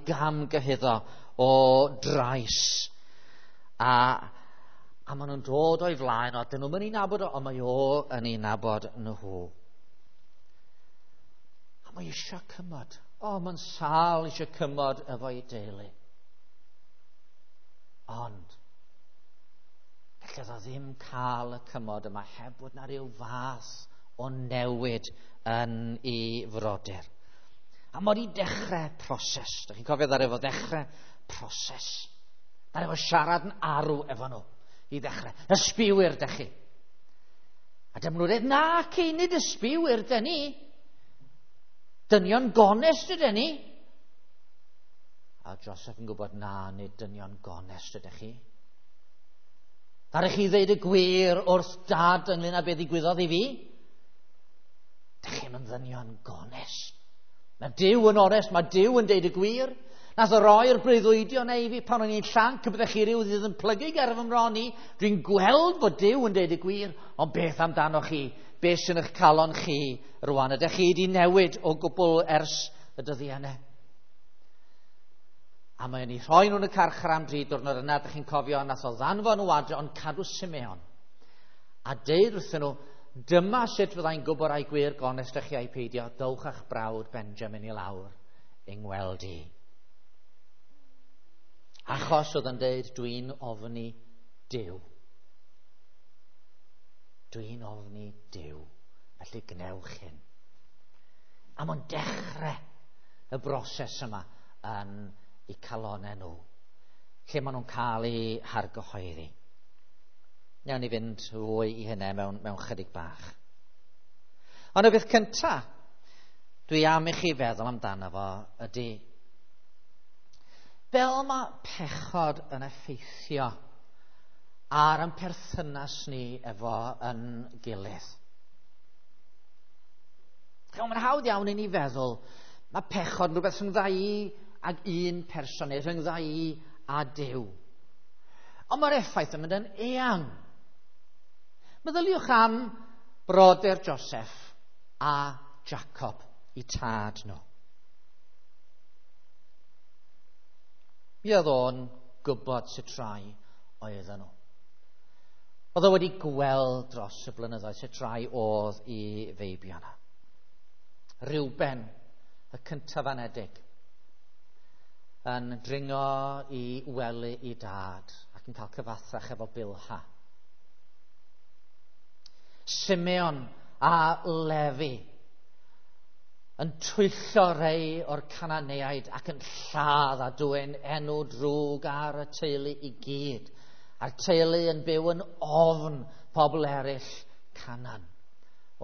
gamgyhuddo o drais. A maen nhw'n dod o'i flaen o, dyn nhw'n mynd i nabod o, ond mae o yn ei nabod nhw. A mae eisiau cymod. O, mae'n sâl eisiau cymod efo'i deulu. Ond, gallai o ddim cael y cymod yma heb fod na ryw fath o newid yn ei frodyr. A mae wedi dechrau proses. Dych chi'n cofio ddaru fo ddechrau proses. Ddaru fo siarad yn arw efo nhw i ddechrau. Ysbiwyr, dych chi. A dyma nhw'n dweud, na, ci, nid ysbiwyr, dyn ni. Dynion gonest ydyn ni. A Joseph yn gwybod, na, nid dynion gonest ydych chi. Ddaru chi ddeud y gwir wrth dad ynglyn â beth ddigwyddodd i fi? Dych chi'n yn ddynion gonest. Mae Duw yn onest, mae Duw yn deud y gwir. Nath o roi'r breuddwydion i fi pan o'n i'n llanc, y byddech chi ryw ddydd yn plygu ger fy mron i. Dwi'n gweld bod Duw yn deud y gwir, ond beth amdano chi? Beth sy'n eich calon chi rwan? Ydych chi wedi newid o gwbl ers y dyddiau yna? A mae'n ei rhoi nhw'n y carchar am 3 diwrnod yna, ydych chi'n cofio, nath o ddanfon nhw adre, ond cadw Simeon. A deud wrthyn nhw, dyma sut fyddai'n gwybod ai gwir gonest ych chi ai peidio, dowch a'ch brawd Benjamin i lawr yng ngweld i. Achos oedd yn deud, dwi'n ofni Duw. Dwi'n ofni Duw. Felly gnewch hyn. A mae'n dechrau y broses yma yn eu calonau nhw, lle maen nhw'n cael eu hargyhoeddi. Newn ni fynd fwy i hynny mewn chydig bach. Ond y beth cyntaf dwi am i chi feddwl amdano fo ydy, fel mae pechod yn effeithio ar ein perthynas ni efo yn gilydd. Mae'n hawdd iawn i ni feddwl, mae pechod yn rhywbeth rhyngdda i ag un person neu rhyngdda i a Duw. Ond mae'r effaith yn mynd yn eang. Meddyliwch am brodyr Joseph a Jacob, i tad nhw. Mi oedd o'n gwybod sut rai oedden nhw. Oedd o wedi gweld dros y blynyddoedd sut rai oedd i feibion. Reuben, y cyntaf anedig, yn dringo i wely i dad ac yn cael cyfathrach efo Bilha. Simeon a Lefi yn twyllo rhai o'r Cananeaid ac yn lladd a dwyn enw drwg ar y teulu i gyd. A'r teulu yn byw yn ofn pobl eraill Canan,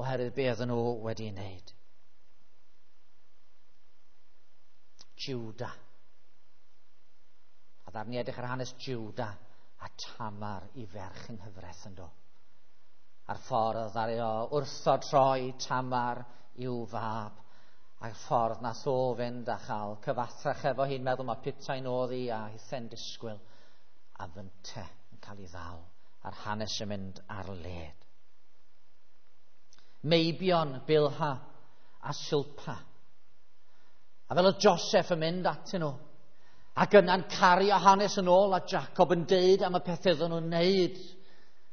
oherwydd be oedden nhw wedi wneud. Judah. A ddarni edrych ar hanes Judah a Tamar i ferch yng nghyfraith yn do. A'r ffordd ddaru o wrthod troi Tamar i'w fab, a'r ffordd nath o fynd a chael cyfathrach efo hi'n meddwl mae putain oedd hi a hithen disgwyl, a fynte yn cael ei ddal, a'r hanes yn mynd ar led. Meibion, Bilha a Silpa. A fel oedd Joseph yn mynd atyn nhw, ac yna'n cario hanes yn ôl a Jacob yn deud am y pethau oedden nhw'n neud,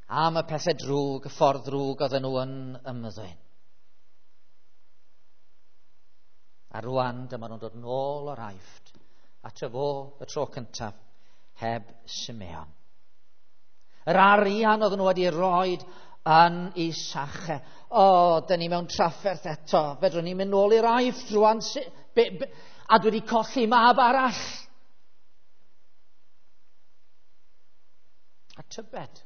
am y pethau drwg, y ffordd drwg oedden nhw yn ymddwyn. A rwan dyma nhw'n dod nôl o'r Aifft ato fo y tro cyntaf heb Simeon. Yr arian oedden nhw wedi roed yn ei sache. O, dyn ni mewn trafferth eto. Fedrwn ni mynd nôl i'r Aifft rwan. A dwi wedi colli mab arall. A tybed,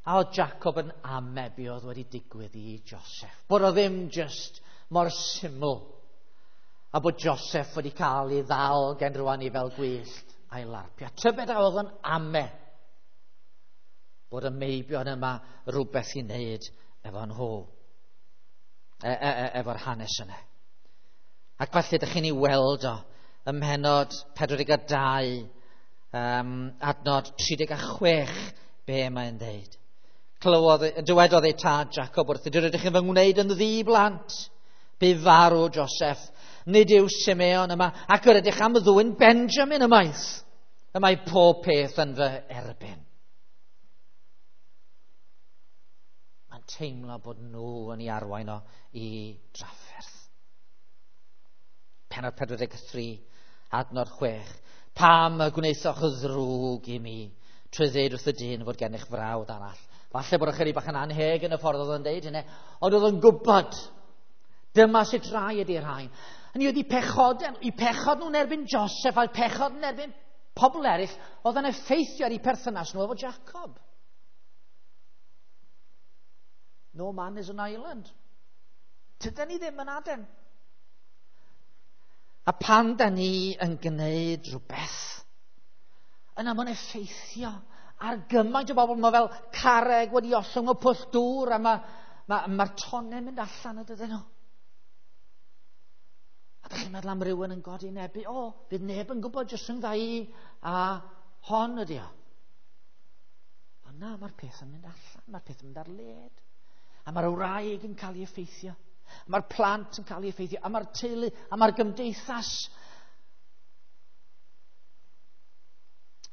a oedd Jacob yn ame be oedd wedi digwydd i Joseph. Bod o ddim just mor syml. A bod Joseph wedi cael ei ddal gen rwan i fel gwyllt a'i larpio. Tybed a oedd yn ame bod y meibion yma rhywbeth i wneud efo nhw, efo'r hanes yna. Ac falle ydych chi'n ei weld o ym mhennod 42, adnod 36, be mae'n dweud. Dywedodd ei tad Jacob wrth, rydych chi'n fy ngwneud yn ddi-blant. Bu farw Joseph Nid yw Simeon yma, ac yr ydych am ddwyn Benjamin ymaith. Y mae pob peth yn fy erbyn. Mae'n teimlo bod nhw yn ei arwain o i drafferth. Pennod 43, adnod 6. Pam y gwnaethoch y ddrwg i mi trwy ddweud wrth y dyn fod gennych frawd arall? Falle bod ychydig bach yn anheg yn y ffordd oedd yn deud hynny, ond oedd yn gwybod dyma sut rai ydy'r rhain. Hynny oedd eu pechod nhw'n erbyn Joseph a'i pechod yn erbyn pobl eraill oedd yn effeithio ar eu perthynas nhw efo Jacob. No man is an island. Tydan ni ddim yn aden. A pan da ni yn gwneud rhywbeth, yna mae'n effeithio ar gymaint o bobl. Mae fel carreg wedi ollwng o pwll dŵr a mae'r tonnau'n mynd allan ydyn nhw. A dych chi'n meddwl am rywun yn godi nebu? O, bydd neb yn gwybod jyst rhwng i a hon ydi o. Ond na, mae'r peth yn mynd allan, mae'r peth yn mynd ar led. A mae'r wraig yn cael ei effeithio. Mae'r plant yn cael ei effeithio. A mae'r teulu, a mae'r gymdeithas.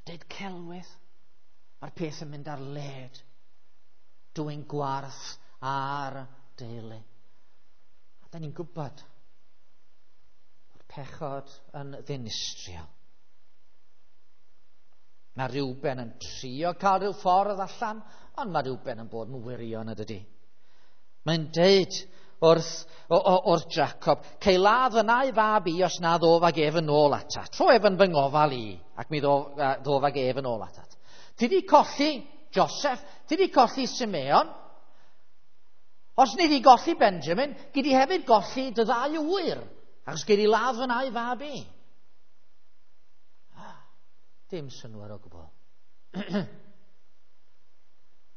Deud celwydd. Mae'r peth yn mynd ar led. Dwyn gwarth ar deulu. A da ni'n gwybod bod pechod yn ddinistriol. Mae Reuben yn trio cael rhyw ffordd allan, ond mae Reuben yn bod yn wirion ydydi. Mae'n deud wrth Jacob, cei ladd fy nau fab i os na ddof ag ef yn ôl atat. Tro ef yn fy ngofal i, ac mi ddof ag ef yn ôl atat. Ti di colli Joseph, ti di colli Simeon. Os ni di golli Benjamin, gei di hefyd golli dy ddau ŵyr, achos gei di ladd fy nau fab i. Dim synnwyr o gwbl.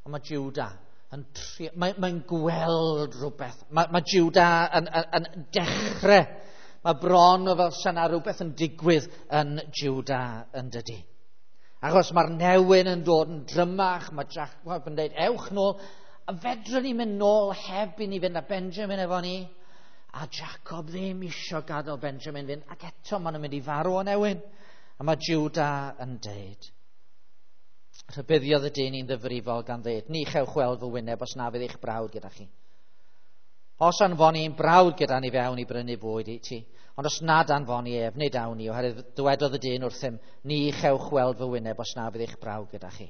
Ond mae Judah yn trio, mae'n gweld rhywbeth. Mae Judah yn dechrau. Mae bron o fel syna rhywbeth yn digwydd yn Judah yn dydi. Achos mae'r newyn yn dod yn drymach, mae Jacob yn dweud, ewch nôl, a fedrwn ni mynd nôl heb i ni fynd â Benjamin efo ni. A Jacob ddim isio gadael Benjamin fynd, ac eto maen nhw'n mynd i farw o newyn. A mae Judah yn deud, rhybuddiodd y dyn i'n ddifrifol gan ddeud, ni chewch weld fy wyneb os na fydd eich brawd gyda chi. Os anfoni ein brawd gyda ni fewn i brynu bwyd i ti, ond os nad anfoni ef, nid awn ni, oherwydd dywedodd y dyn wrthym, ni chewch weld fy wyneb os na fydd eich brawd gyda chi.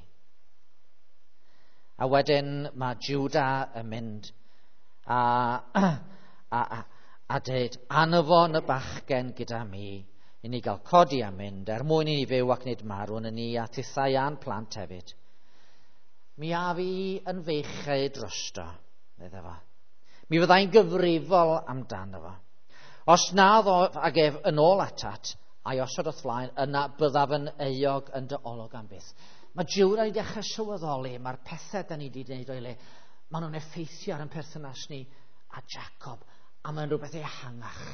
A wedyn mae Judah yn mynd a deud, anfon y bachgen gyda mi, i ni gael codi a mynd, er mwyn i ni fyw ac nid marw yn ni a tithau a'n plant hefyd. Mi a fi yn feichau drosto, meddai fo. Mi fyddai'n gyfrifol amdano fo. Os na ddof ag ef yn ôl atat, a'i osod o'th flaen, yna byddaf yn euog yn dy olwg am byth. Mae Judah wedi dechrau sylweddoli, mae'r pethau da ni wedi gwneud o'i le, maen nhw'n effeithio ar ein perthynas ni a Jacob, a mae'n rhywbeth ehangach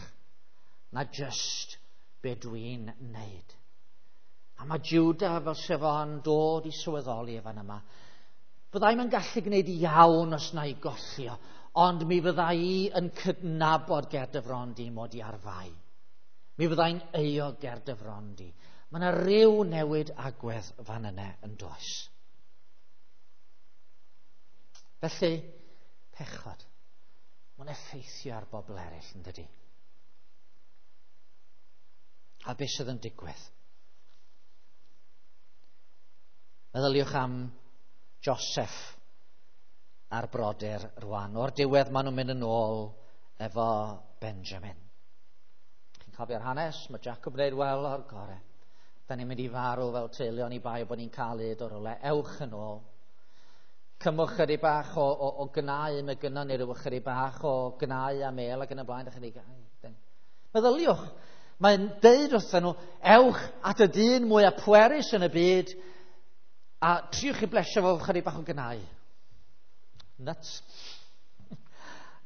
na just be dwi'n wneud. A mae Judah fel sef o'n dod i sylweddoli fan yma. Byddai'm yn gallu gwneud iawn os na i golli o, ond mi fyddai i yn cydnabod ger dy fron di mod i ar fai. Mi fyddai'n euog ger dy fron di. Mae yna ryw newid agwedd fan yna yn does. Felly, pechod. Mae'n effeithio ar bobl eraill yn dydi. A beth sydd yn digwydd? Meddyliwch am Joseph a'r brodyr rwan. O'r diwedd maen nhw'n mynd yn ôl efo Benjamin. Chi'n cofio'r hanes? Mae Jacob yn dweud, wel, o'r gore. Da ni'n mynd i farw fel teulu, oni bai bod ni'n cael hyd o'r rywle. Ewch yn ôl. Cymwch chydig bach o gnau, mae gynnon ni ryw chydig bach o gnau a mel ac yn y blaen. Meddyliwch. Mae'n deud wrthyn nhw, ewch at y dyn mwyaf pwerus yn y byd a triwch i blesio fo chydig bach o gnau. Nuts.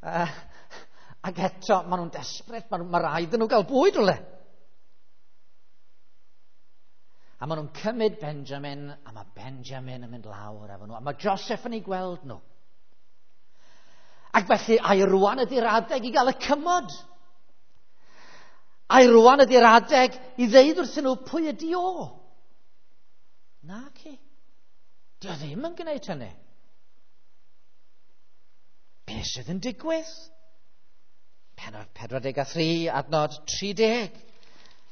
Ac eto, maen nhw'n desperate, mae rhaid nhw gael bwyd rhywle. A maen nhw'n cymryd Benjamin, a mae Benjamin yn mynd lawr efo nhw, a mae Joseph yn ei gweld nhw. Ac felly, ai rwan ydy'r adeg i gael y cymod. Ai rwan ydy'r adeg i ddeud wrthyn nhw pwy ydy o? Na ci. Dio ddim yn gwneud hynny. Be sydd yn digwydd? Penod 43, adnod 30.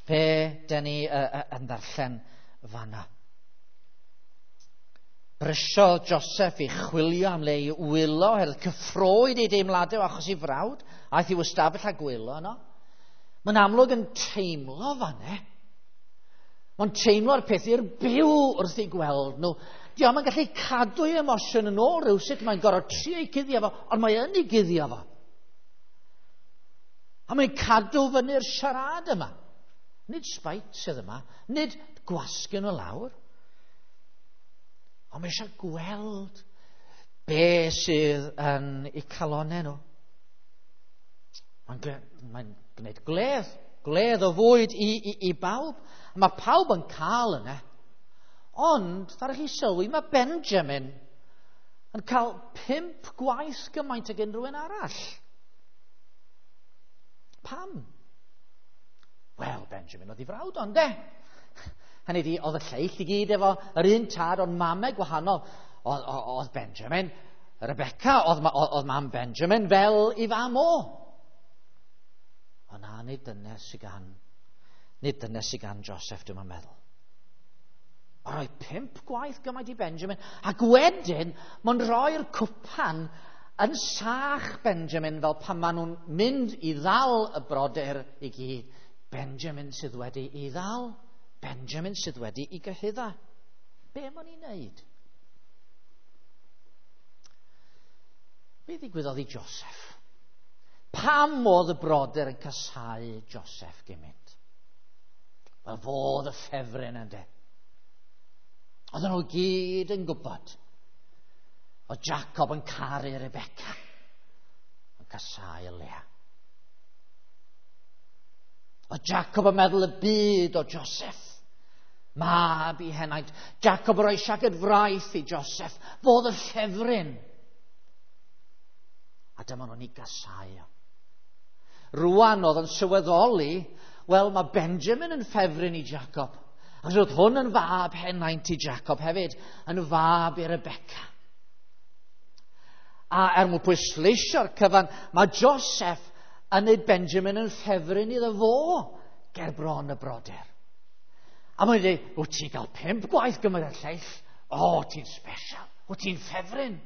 Be dyn ni yn ddarllen fanna? Brysiodd Joseph i chwilio am le i wylo, oherwydd cyffroed ei deimladau achos ei frawd, aeth i'w ystafell a gwylo yno. Mae'n amlwg yn teimlo fanne. Mae'n teimlo'r peth i'r byw wrth ei gweld nhw. Dio'm yn gallu cadw ei emosiwn yn ôl rhywsut, mae'n gorfod trio ei guddio fo, ond mae yn ei guddio fo. A mae'n cadw fyny'r siarad yma. Nid sbait sydd yma, nid gwasgu nhw lawr. Ond mae eisiau gweld be sydd yn eu calonau nhw. Mae'n gwneud gwledd o fwyd i bawb. A mae pawb yn cael yna. Ond, ddaru chi sylwi, mae Benjamin yn cael 5 gwaith gymaint ag unrhyw un arall. Pam? Wel, Benjamin oedd ei frawd ond de. Hynny ydi, oedd y lleill i gyd efo yr un tad, ond mamau gwahanol. Oedd Benjamin, Rebecca, oedd mam Benjamin fel i fam o. Ond na, nid dyna sydd gan Joseph, dwi'n meddwl. Mae'n rhoi 5 gwaith gymaint i Benjamin, ac wedyn mae'n rhoi'r cwpan yn sach Benjamin fel pan maen nhw'n mynd i ddal y brodyr i gyd. Benjamin sydd wedi i ddal, Benjamin sydd wedi i gyhudda. Be maen nhw'n ei wneud? Be ddigwyddodd i Joseph? Pam oedd y brodyr yn casáu Joseph gymaint? Wel, fodd y ffefryn ynde. Oedden nhw gyd yn gwybod oedd Jacob yn caru Rebecca, yn casáu Leah. Oedd Jacob yn meddwl y byd o Joseph, mab i henaint. Jacob yn rhoi siaced fraith i Joseph, fodd y ffefryn. A dyma nhw'n ei gasáu. Rwan oedd yn sylweddoli, wel, mae Benjamin yn ffefryn i Jacob. Ac roedd hwn yn fab henaint i Jacob hefyd, yn fab i Rebecca. A er mwyn pwysleisio'r cyfan, mae Joseph yn neud Benjamin yn ffefryn iddo fo ger bron y brodyr. A mae'n dweud, wyt ti'n cael 5 gwaith gymaint â'r lleill? O, ti'n special, wyt ti'n ffefryn.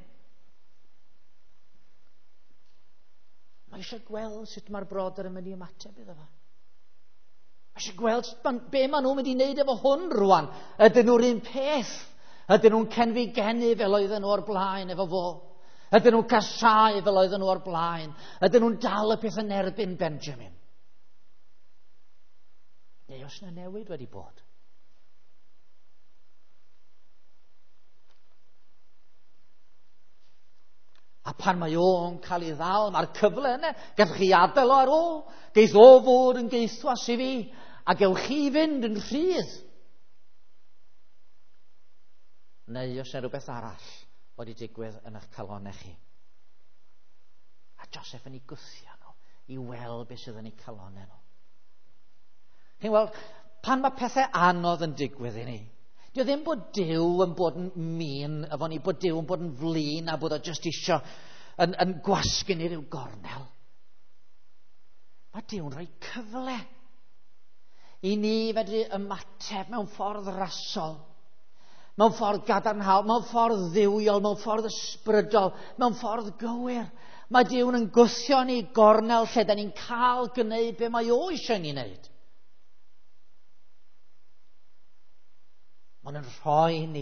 Mae eisiau gweld sut mae'r brodyr yn mynd i ymateb iddo fo. Mae eisiau gweld be maen nhw'n mynd i wneud efo hwn rwan. Ydyn nhw'r un peth? Ydyn nhw'n cenfigenu fel oedden nhw o'r blaen efo fo? Ydyn nhw'n casáu fel oedden nhw o'r blaen? Ydyn nhw'n dal y peth yn erbyn Benjamin? Neu os yna newid wedi bod? A pan mae o'n cael ei ddal, mae'r cyfle yna, gallwch chi adael o ar ôl, geith o fod yn geithwas i fi, a gewch chi fynd yn rhydd. Neu os yna rhywbeth arall wedi digwydd yn eich calonau chi. A Joseph yn ei gwthio nhw i weld beth sydd yn eu calonau nhw. Chi'n weld, pan mae pethau anodd yn digwydd i ni, dio ddim bod Duw yn bod yn mean efo ni, bod Duw yn bod yn flin a bod o jyst isio yn gwasgu ni ryw gornel. Mae Duw'n rhoi cyfle i ni fedru ymateb mewn ffordd rasol, mewn ffordd gadarnhaol, mewn ffordd dduwiol, mewn ffordd ysbrydol, mewn ffordd gywir. Mae Duw'n yn gwthio ni gornel lle da ni'n cael gwneud be mae o eisiau ni wneud. Mae'n yn rhoi ni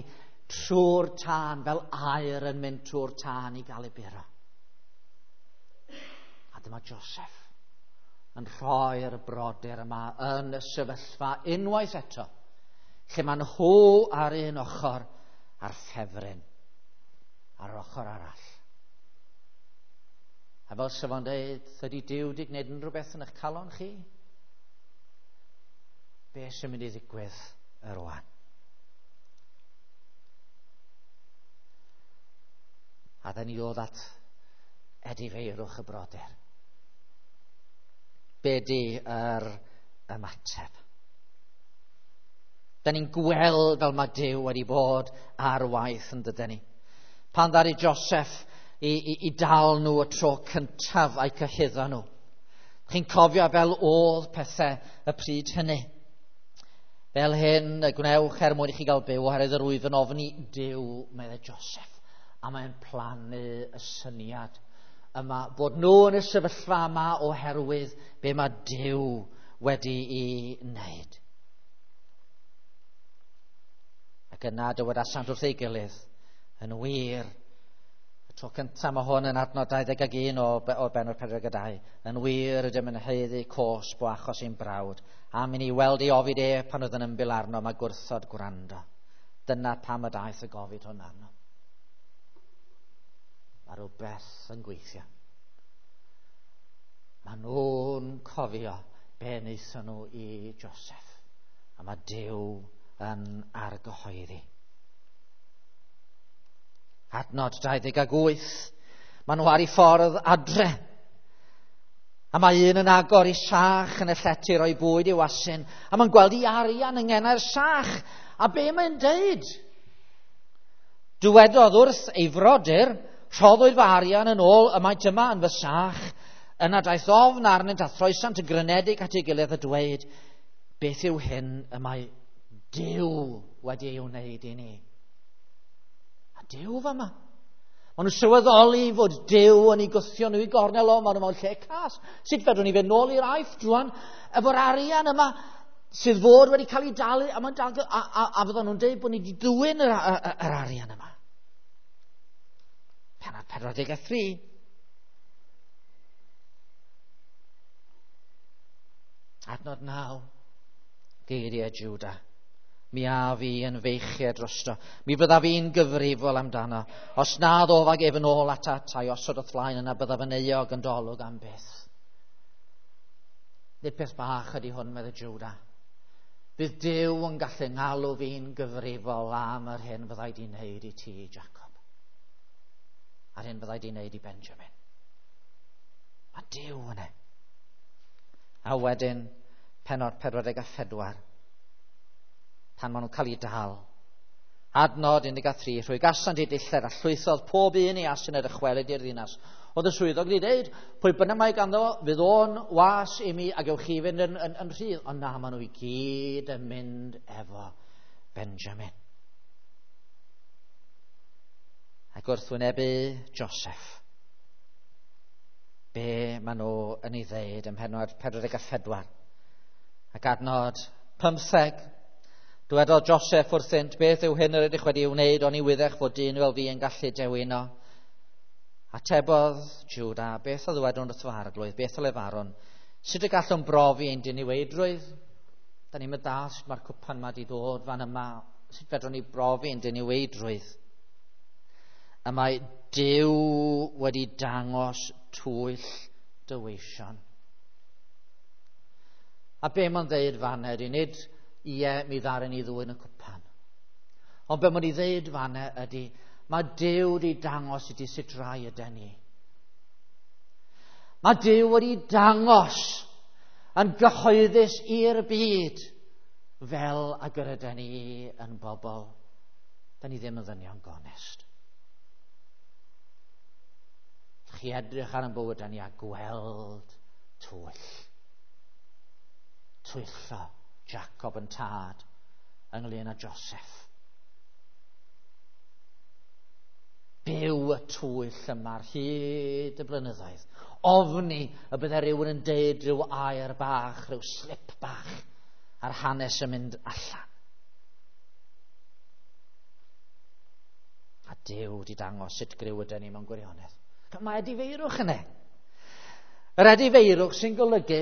trwy'r tân fel aer yn mynd trwy'r tân i gael ei buro. A dyma Joseph yn rhoi'r brodyr yma yn y sefyllfa unwaith eto, lle maen nhw ar un ochr a'r ffefryn ar yr ochr arall. A fel sef o'n dweud, ydy Duw wedi gwneud unrhyw beth yn eich calon chi? Be sy'n mynd i ddigwydd rwan? A da ni ddod at edifeirwch y brodyr. Be di yr ymateb. Da ni'n gweld fel mae Duw wedi bod ar waith yn dydyn ni. Pan ddaru Joseph i dal nhw y tro cyntaf a'i cyhuddo nhw. Chi'n cofio fel oedd pethau y pryd hynny. Fel hyn y gwnewch er mwyn i chi gael byw, oherwydd yr wyf yn ofni Duw, meddai Joseph. A mae'n plannu y syniad yma bod nhw yn y sefyllfa yma oherwydd be mae Duw wedi'i wneud. Ac yna dywedasant wrth ei gilydd, yn wir, y tro cyntaf mae hwn yn adnod 21 o bennod 42, yn wir ydym yn haeddu cosb o achos ein brawd, am i ni weld ei ofid e pan oedd yn ymbil arno, mae gwrthod gwrando. Dyna pam y daeth y gofid hwn arno. Mae rhywbeth yn gweithio. Mae nhw'n cofio be wnaethon nhw i Joseph. A mae Duw yn argyhoeddi. Adnod 28. Mae nhw ar ei ffordd adre. A mae un yn agor ei sach yn y llety roi bwyd i'w asyn. A mae'n gweld ei arian yng ngenau'r sach. A be mae'n deud? Dywedodd wrth ei frodyr, rhoddwyd fy arian yn ôl y maent yma yn fy sach. Yna daeth ofn arnynt a throesant yn grynedig at ei gilydd a dweud, beth yw hyn y mae Duw wedi ei wneud i ni? A Duw fama. Maen nhw'n sylweddoli fod Duw yn ei gwthio nhw i gornel o, maen nhw mewn lle cas. Sut fedrwn ni fynd nôl i'r Aifft rwan efo'r arian yma sydd fod wedi cael ei dalu, a, mae'n dal, a fyddan nhw'n dweud bod ni wedi dwyn yr arian yma. Pennod 43. Adnod 9. Geiriau Judah. Mi a fi yn feichiau drosto. Mi fyddaf fi'n gyfrifol amdano. Os na ddof ag ef yn ôl atat a'i osod o'th flaen yna, byddaf yn euog yn dolwg am byth. Nid peth bach ydy hwn, meddai Judah. Bydd Duw yn gallu ngalw fi'n gyfrifol am yr hyn fyddai di wneud i ti, Jacob. A'r hyn fyddai di wneud i Benjamin. Mae Duw yna. A wedyn, pennod 44, pan maen nhw'n cael ei dal. Adnod 13, rhwygasant eu dillad a llwythodd pob un ei asyn a dychwelyd i'r ddinas. Oedd y swyddog wedi dweud, pwy bynnag mae ganddo, fydd o'n was i mi a gewch chi fynd yn rhydd. Ond na, maen nhw i gyd yn mynd efo Benjamin. Ac wrth wynebu Joseph, be maen nhw yn ei ddeud ym mhennod 44. Ac adnod 15, dywedodd Joseph wrthynt, beth yw hyn yr ydych wedi ei wneud, oni wyddech fod dyn fel fi yn gallu dewino. Atebodd Judah, beth a ddywedwn wrth fy arglwydd, beth a lefarwn, sut y gallwn brofi ein diniweidrwydd? Da ni'n mynd sut mae'r cwpan yma wedi dod fan yma, sut fedrwn ni brofi ein diniweidrwydd? Y mae Duw wedi dangos twyll dy weision. A be mae'n ddeud fan ydy, nid ie, mi ddaru ni ddwyn y cwpan. Ond be mae'n ei ddeud fan ydy, mae Duw wedi dangos i ti sut rai yden ni. Mae Duw wedi dangos yn gyhoeddus i'r byd fel ag yr yden ni yn bobl. Da ni ddim yn ddynion gonest. Chi edrych ar ein bywydau ni a gweld twyll. Twyllo Jacob yn tad ynglyn â Joseph. Byw y twyll yma ar hyd y blynyddoedd. Ofni y bydde rhywun yn deud rhyw air bach, rhyw slip bach a'r hanes yn mynd allan. A Duw wedi dangos sut griw ydyn ni mewn gwirionedd. Mae edifeirwch yna. Yr edifeirwch sy'n golygu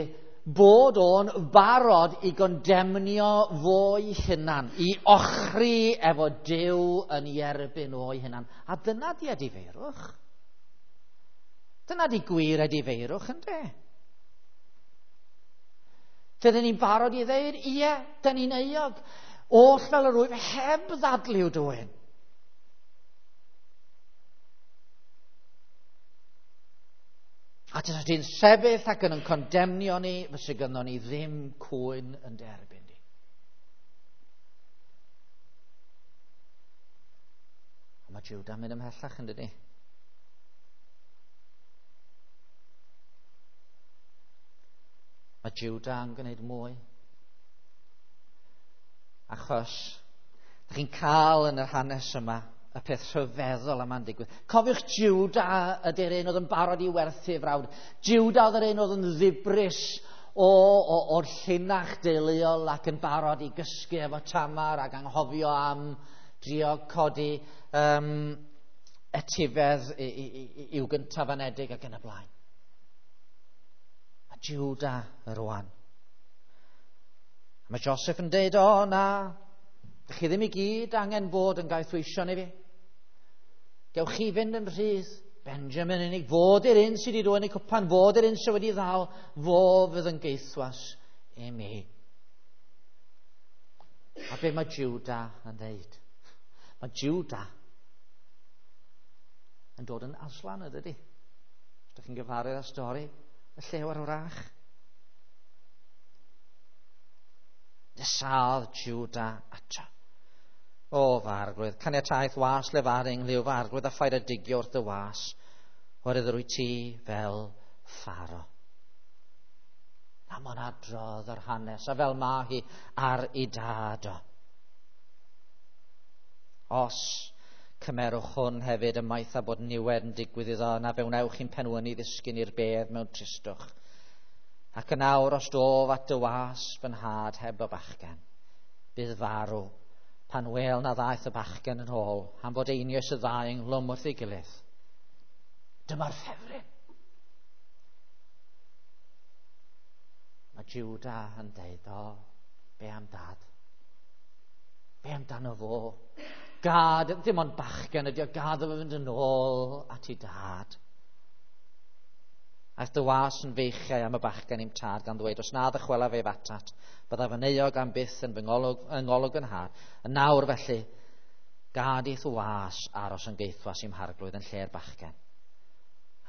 bod o'n barod i gondemnio fo'i hunan, i ochri efo Duw yn ei erbyn o'i hunan. A dyna di edifeirwch. Dyna di gwir edifeirwch, yndê? Dydyn ni'n barod i ddeud, ie, dyn ni'n euog. Oll fel yr wyf heb ddadliw dwyn. A tysa ti'n sefyll ac yn condemnio ni, fysa gynnon ni ddim cwyn yn derbyn di. A mae Judah yn mynd ymhellach yn dydi? Mae Judah yn gwneud mwy. Achos, ydych chi'n cael yn yr hanes yma y peth rhyfeddol yma'n digwydd. Cofiwch Judah ydy'r un oedd yn barod i werthu frawd. Judah oedd yr un oedd yn ddibris o'r llinach deuluol ac yn barod i gysgu efo Tamar ac anghofio am drio codi etifedd i'w gyntaf anedig ac yn y blaen. A Judah rwan. Mae Joseph yn deud, o na, chi ddim i gyd angen bod yn gaethweision i fi. Gewch chi fynd yn rhydd. Benjamin unig, fod i'r un sydd wedi dwyn y cwpan, fod i'r un sydd wedi ddal, fo fydd yn gaethwas i mi. A be mae Judah yn dweud? Mae Judah yn dod yn Aslan, ydy? Os ydych chi'n gyfarwydd â stori, y llew ar wrach. Nesaodd Judah ato. O, fy arglwydd, caniataeth was lefaru ynghlyw fy arglwydd a phaid â digio wrth dy was, oherwydd yr wyt ti fel Pharaoh. A mae'n adrodd yr hanes, a fel ma hi ar ei dad o. Os cymerwch hwn hefyd ymaith a bod niwed yn digwydd iddo, na fe wnewch chi'n penwynu ddisgyn i'r bedd mewn tristwch. Ac yn awr os dof at dy was fy nhad heb y bachgen, bydd farw pan wel na ddaeth y bachgen yn ôl, am fod einioes y ddau ynghlwm wrth ei gilydd. Dyma'r ffefryn. Mae Judah yn deud, o, be am dad? Be amdano fo? Gad, ddim ond bachgen ydi o, gad o fe fynd yn ôl at ei dad. Aeth dy was yn feichiau am y bachgen i'm tad gan ddweud, os na ddychwelaf ef atat, byddaf yn euog am byth yn fy ngolwg yn nhad. Yn nawr felly, gad i'th was aros yn gaethwas i'm harglwydd yn lle'r bachgen.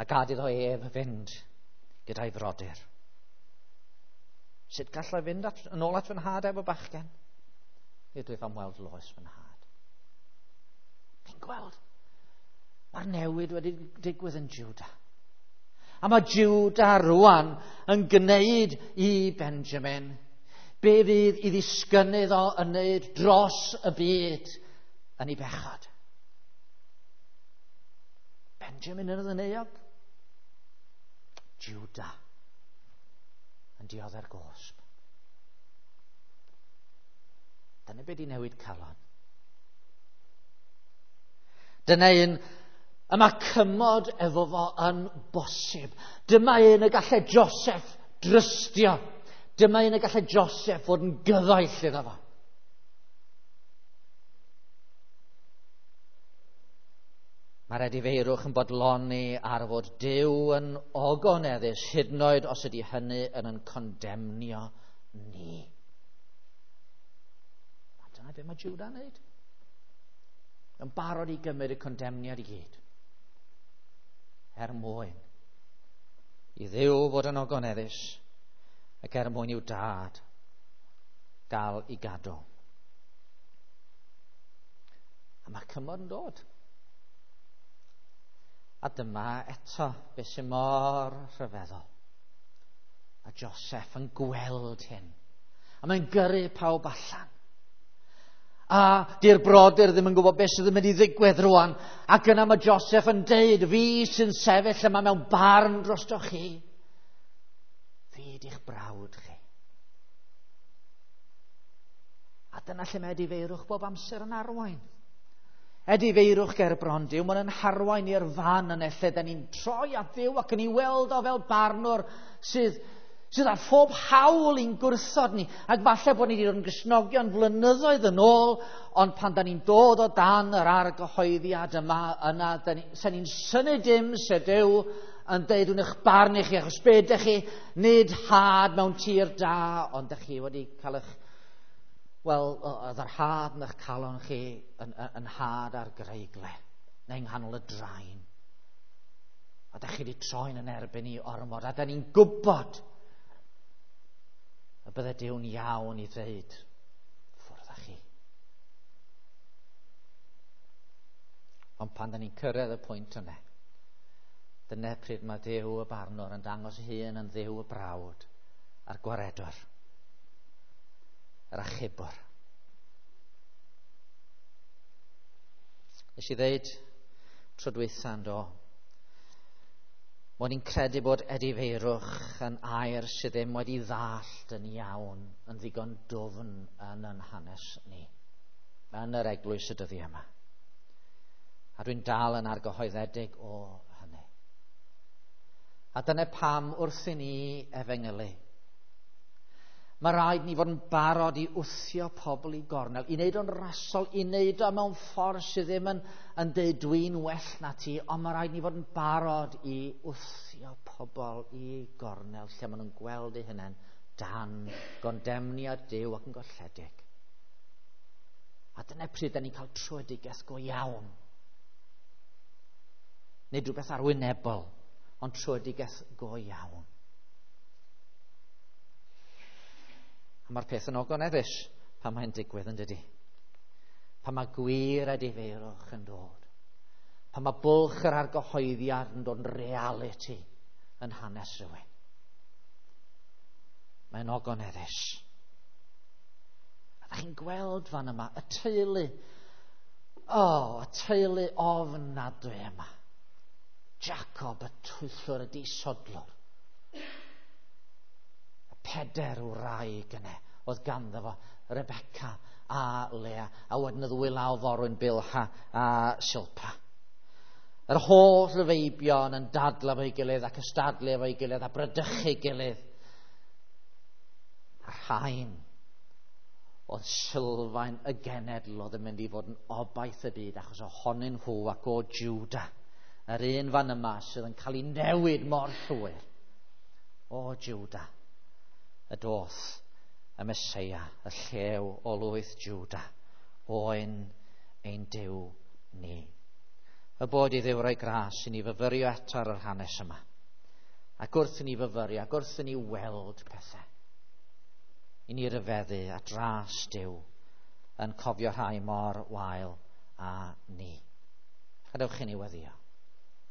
A gad iddo ef fynd gyda'i frodyr. Sut gallai fynd yn ôl at fy nhad efo bachgen? Nid wyf am weld loes fy nhad. Chi'n gweld? Mae'r newid wedi digwydd yn Judah. A mae Judah rwan yn gwneud i Benjamin be fydd i ddisgynnydd o yn wneud dros y byd yn ei bechod. Benjamin yn yn euog. Judah yn diodde'r gosb. Dyna be di newid calon. Dyna un y mae cymod efo fo yn bosib. Dyma un y gallai Joseph drystio. Dyma un y gallai Joseph fod yn gyfaill iddo fo. Mae'r edifeirwch yn bodloni ar fod Duw yn ogoneddus, hyd yn oed os ydy hynny yn condemnio ni. A dyna be mae Judah yn wneud. Yn barod i gymryd y condemniad i gyd. Er mwyn i Dduw fod yn ogoneddus ac er mwyn i'w dad gael i gadw. A mae cymod yn dod. A dyma eto beth sy'n mor rhyfeddol. A Joseph yn gweld hyn. A mae'n gyrru pawb allan. A di'r brodyr ddim yn gwybod beth sydd yn mynd i ddigwydd rwan. Ac yna mae Joseph yn deud, fi sy'n sefyll yma mewn barn drostoch chi. Fi di'ch brawd chi. A dyna lle mae edifeirwch bob amser yn arwain. Edifeirwch ger bron Duw, mae'n yn harwain i'r fan yna lle da ni'n troi at Dduw ac yn ei weld o fel barnwr sydd â phob hawl i'n gwrthod ni. Ac falle bod ni wedi dod yn Gristnogion flynyddoedd yn ôl, ond pan da ni'n dod o dan yr argyhoeddiad yma, yna, sen ni'n synnu dim se Duw yn deud yn eich barn i chi, achos be ydych chi, nid had mewn tir da, ond ydych chi wedi cael eich, wel, oedd yr had yn eich calon chi yn had ar greigle, neu yng nghanol y draen. A da chi wedi troi'n yn erbyn i ormod, a da ni'n gwybod y bydde Duw'n iawn i ddweud, ffwrdd â chi. Ond pan da ni'n cyrraedd y pwynt yna, dyna pryd mae Duw y barnwr yn dangos ei hun yn Dduw y brawd a'r gwaredwr, yr achubwr. Nes i ddeud tro dwytha yn do, mod i'n credu bod edifeirwch yn air sydd ddim wedi ddallt yn iawn yn ddigon dwfn yn yn hanes ni, yn yr eglwys y dyddiau yma. A dwi'n dal yn argyhoeddedig o hynny. A dyna pam wrth i ni efengylu, mae rhaid ni fod yn barod i wthio pobl i gornel, i wneud o'n rasol, i wneud o mewn ffordd sydd ddim yn deud dwi'n well na ti, ond mae rhaid ni fod yn barod i wthio pobl i gornel lle maen nhw'n gweld eu hunain dan gondemniad Duw ac yn golledig. A dyna pryd da ni'n cael tröedigaeth go iawn. Nid rhywbeth arwynebol, ond tröedigaeth go iawn. A mae'r peth yn ogoneddus pan mae'n digwydd, yn dydi? Pan mae gwir edifeirwch yn dod. Pan mae bwlch yr argyhoeddiad yn dod yn realiti yn hanes rhywun. Mae'n ogoneddus. A da chi'n gweld fan yma, y teulu, y teulu ofnadwy yma. Jacob, y twyllwr, y disodlwr. Peder wraig yna oedd ganddo fo, Rebecca a Lea, a wedyn y ddwy law forwyn Bilha a Silpa. Yr holl feibion yn dadla efo'i gilydd ac ystadlu efo'i gilydd a bradychu gilydd. A rhain oedd sylfaen y genedl oedd yn mynd i fod yn obaith y byd achos ohonyn nhw ac o Juda. Yr un fan yma sydd yn cael ei newid mor llwyr. O Juda, y doth y Meseia, y llew o lwyth Juda, oen ein Duw ni. Y bod i Dduw roi gras i ni fyfyrio eto ar yr hanes yma. Ac wrth i ni fyfyrio, ac wrth i ni weld pethau, i ni ryfeddu at ras Duw yn cofio rhai mor wael a ni. Gadewch i ni weddïo.